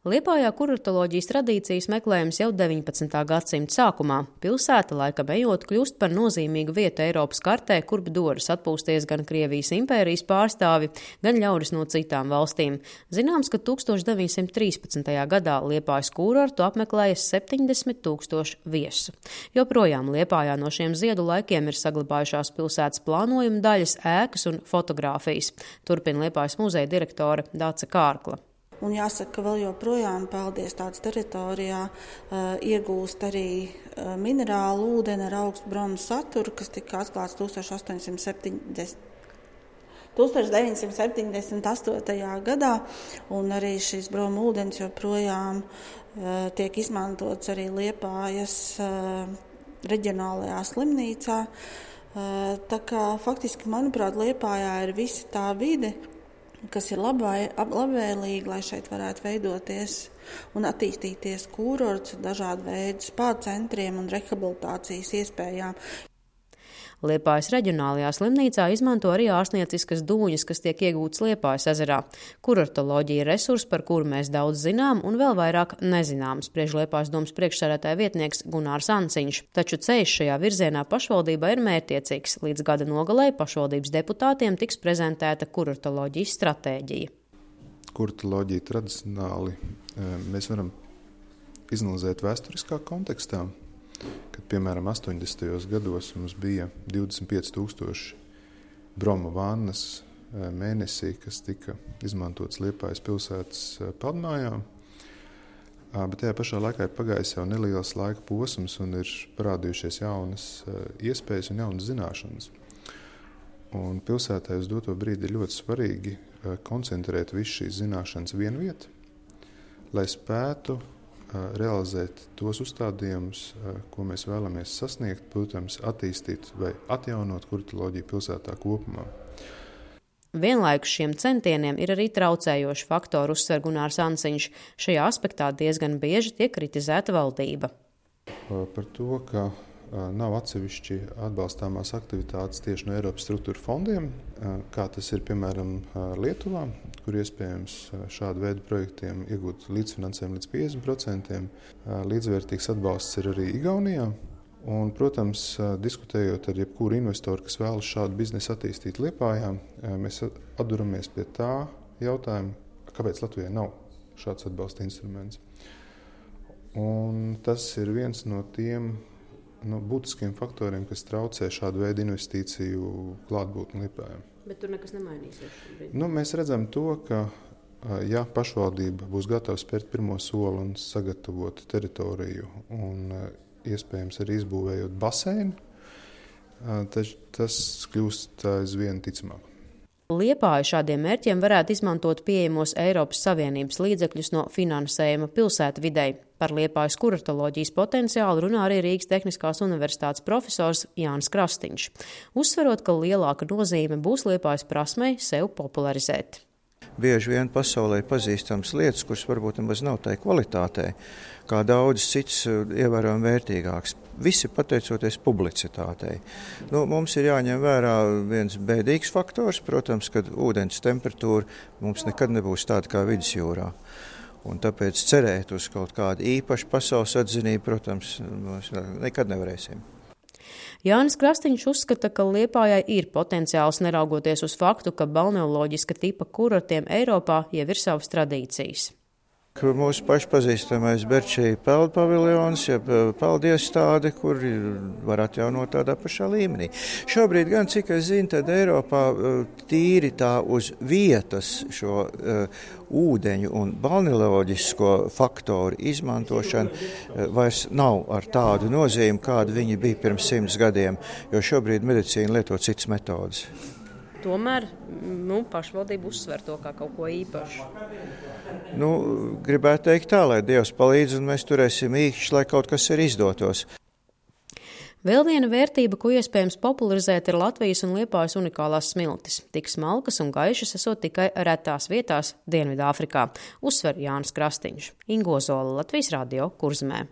Liepājā kuratoloģijas tradīcijas meklējums jau 19. gadsimta sākumā. Pilsēta, laikam ejot, kļūst par nozīmīgu vietu Eiropas kartē, kurp dodas atpūsties gan Krievijas impērijas pārstāvi, gan ļaudis no citām valstīm. Zināms, ka 1913. gadā Liepājas kurortu apmeklēja 70 000 viesu. Joprojām Liepājā no šiem ziedu laikiem ir saglabājušās pilsētas plānojuma daļas, ēkas un fotogrāfijas. Turpina Liepājas muzeja direktore Dace Kārkla. Un jāsaka, ka vēl joprojām Peldies tāds teritorijā iegūst arī minerālu ūdeni ar augstu bromu saturu, kas tika atklāts 1978. gadā, un arī šis bromu ūdens joprojām tiek izmantots arī Liepājas reģionālajā slimnīcā. Tā kā faktiski, manuprāt, Liepājā ir visa tā vide, kas ir labvēlīgi, lai šeit varētu veidoties un attīstīties kurorts ar dažādu veidu spā centriem un rehabilitācijas iespējām. Liepājas reģionālajā slimnīcā izmanto arī ārstnieciskas dūņas, kas tiek iegūtas Liepājas ezerā. Kurortoloģija ir resurs, par kuru mēs daudz zinām un vēl vairāk nezinām, spriež Liepājas domas priekšsēdētāja vietnieks Gunārs Anciņš. Taču ceļš šajā virzienā pašvaldībā ir mērķtiecīgs. Līdz gada nogalē pašvaldības deputātiem tiks prezentēta kurortoloģijas stratēģija. Kurortoloģija tradicionāli mēs varam izanalizēt vēsturiskā kontekstā. Kad, piemēram, 80. gados mums bija 25 000 broma vannas mēnesī, kas tika izmantotas Liepājas pilsētas peldmājā. Bet tajā pašā laikā ir pagājis jau neliels laika posms un ir parādījušies jaunas iespējas un jaunas zināšanas. Un pilsētā uz doto brīdi ir ļoti svarīgi koncentrēt visu šīs zināšanas vienviet, lai spētu realizēt tos uzstādījumus, ko mēs vēlamies sasniegt, protams, attīstīt vai atjaunot kurortoloģiju pilsētā kopumā. Vienlaikus šiem centieniem ir arī traucējoši faktori, uzsver Gunārs Anciņš. Šajā aspektā diezgan bieži tiek kritizēta valdība. Par to, ka nav atsevišķi atbalstāmās aktivitātes tieši no Eiropas struktūra fondiem, kā tas ir, piemēram, Lietuvā, kur iespējams šādu veidu projektiem iegūt līdzfinansējumu līdz 50%. Līdzvērtīgs atbalsts ir arī Igaunijā. Un, protams, diskutējot ar jebkuru investoru, kas vēlas šādu biznesu attīstīt Liepājā, mēs atduramies pie tā jautājuma, kāpēc Latvijai nav šāds atbalsta instruments. Un tas ir viens no tiem būtiskiem faktoriem, kas traucē šādu veidu investīciju klātbūtni Liepājā. Bet tur nekas nemainīsies šobrīd? Mēs redzam to, ka ja pašvaldība būs gatava spērt pirmo soli un sagatavot teritoriju un iespējams arī izbūvējot baseinu, tas kļūst aizvien ticamāk. Liepāja šādiem mērķiem varētu izmantot pieejamos Eiropas Savienības līdzekļus no finansējuma pilsētu videi. Par Liepājas kurortoloģijas potenciālu runā arī Rīgas Tehniskās universitātes profesors Jānis Krastīņš, uzsverot, ka lielāka nozīme būs Liepājas prasmei sev popularizēt. Bieži vien pasaulē ir pazīstams lietas, kuras varbūt nemaz nav tai kvalitātei, kā daudz cits ievērojami vērtīgāks. Visi pateicoties publicitātei. Mums ir jāņem vērā viens bēdīgs faktors, protams, kad ūdens temperatūra mums nekad nebūs tāda kā vidusjūrā. Un tāpēc cerēt uz kaut kādu īpašu pasaules atzinību, protams, mēs nekad nevarēsim. Jānis Krastīņš uzskata, ka Liepājai ir potenciāls neraugoties uz faktu, ka balneoloģiska tipa kurortiem Eiropā jau ir savas tradīcijas. Mūsu pašpazīstamais Berčī peldu paviljons, ja peldu iestāde, kur var atjaunot tādā pašā līmenī. Šobrīd gan, cik es zinu, tad Eiropā tīri tā uz vietas šo ūdeņu un balneoloģisko faktoru izmantošana vairs nav ar tādu nozīmi, kāda viņi bija pirms 100 gadiem, jo šobrīd medicīna lieto citas metodas. Tomēr pašvaldība uzsver to kā kaut ko īpašu. Gribētu teikt tā, lai Dievs palīdz un mēs turēsim īkšķi, lai kaut kas ir izdotos. Vēl viena vērtība, ko iespējams popularizēt, ir Latvijas un Liepājas unikālās smiltis. Tik smalkas un gaišas esot tikai retās vietās Dienvidāfrikā, uzsver Jānis Krastīņš. Ingo Zola, Latvijas radio, Kurzemē.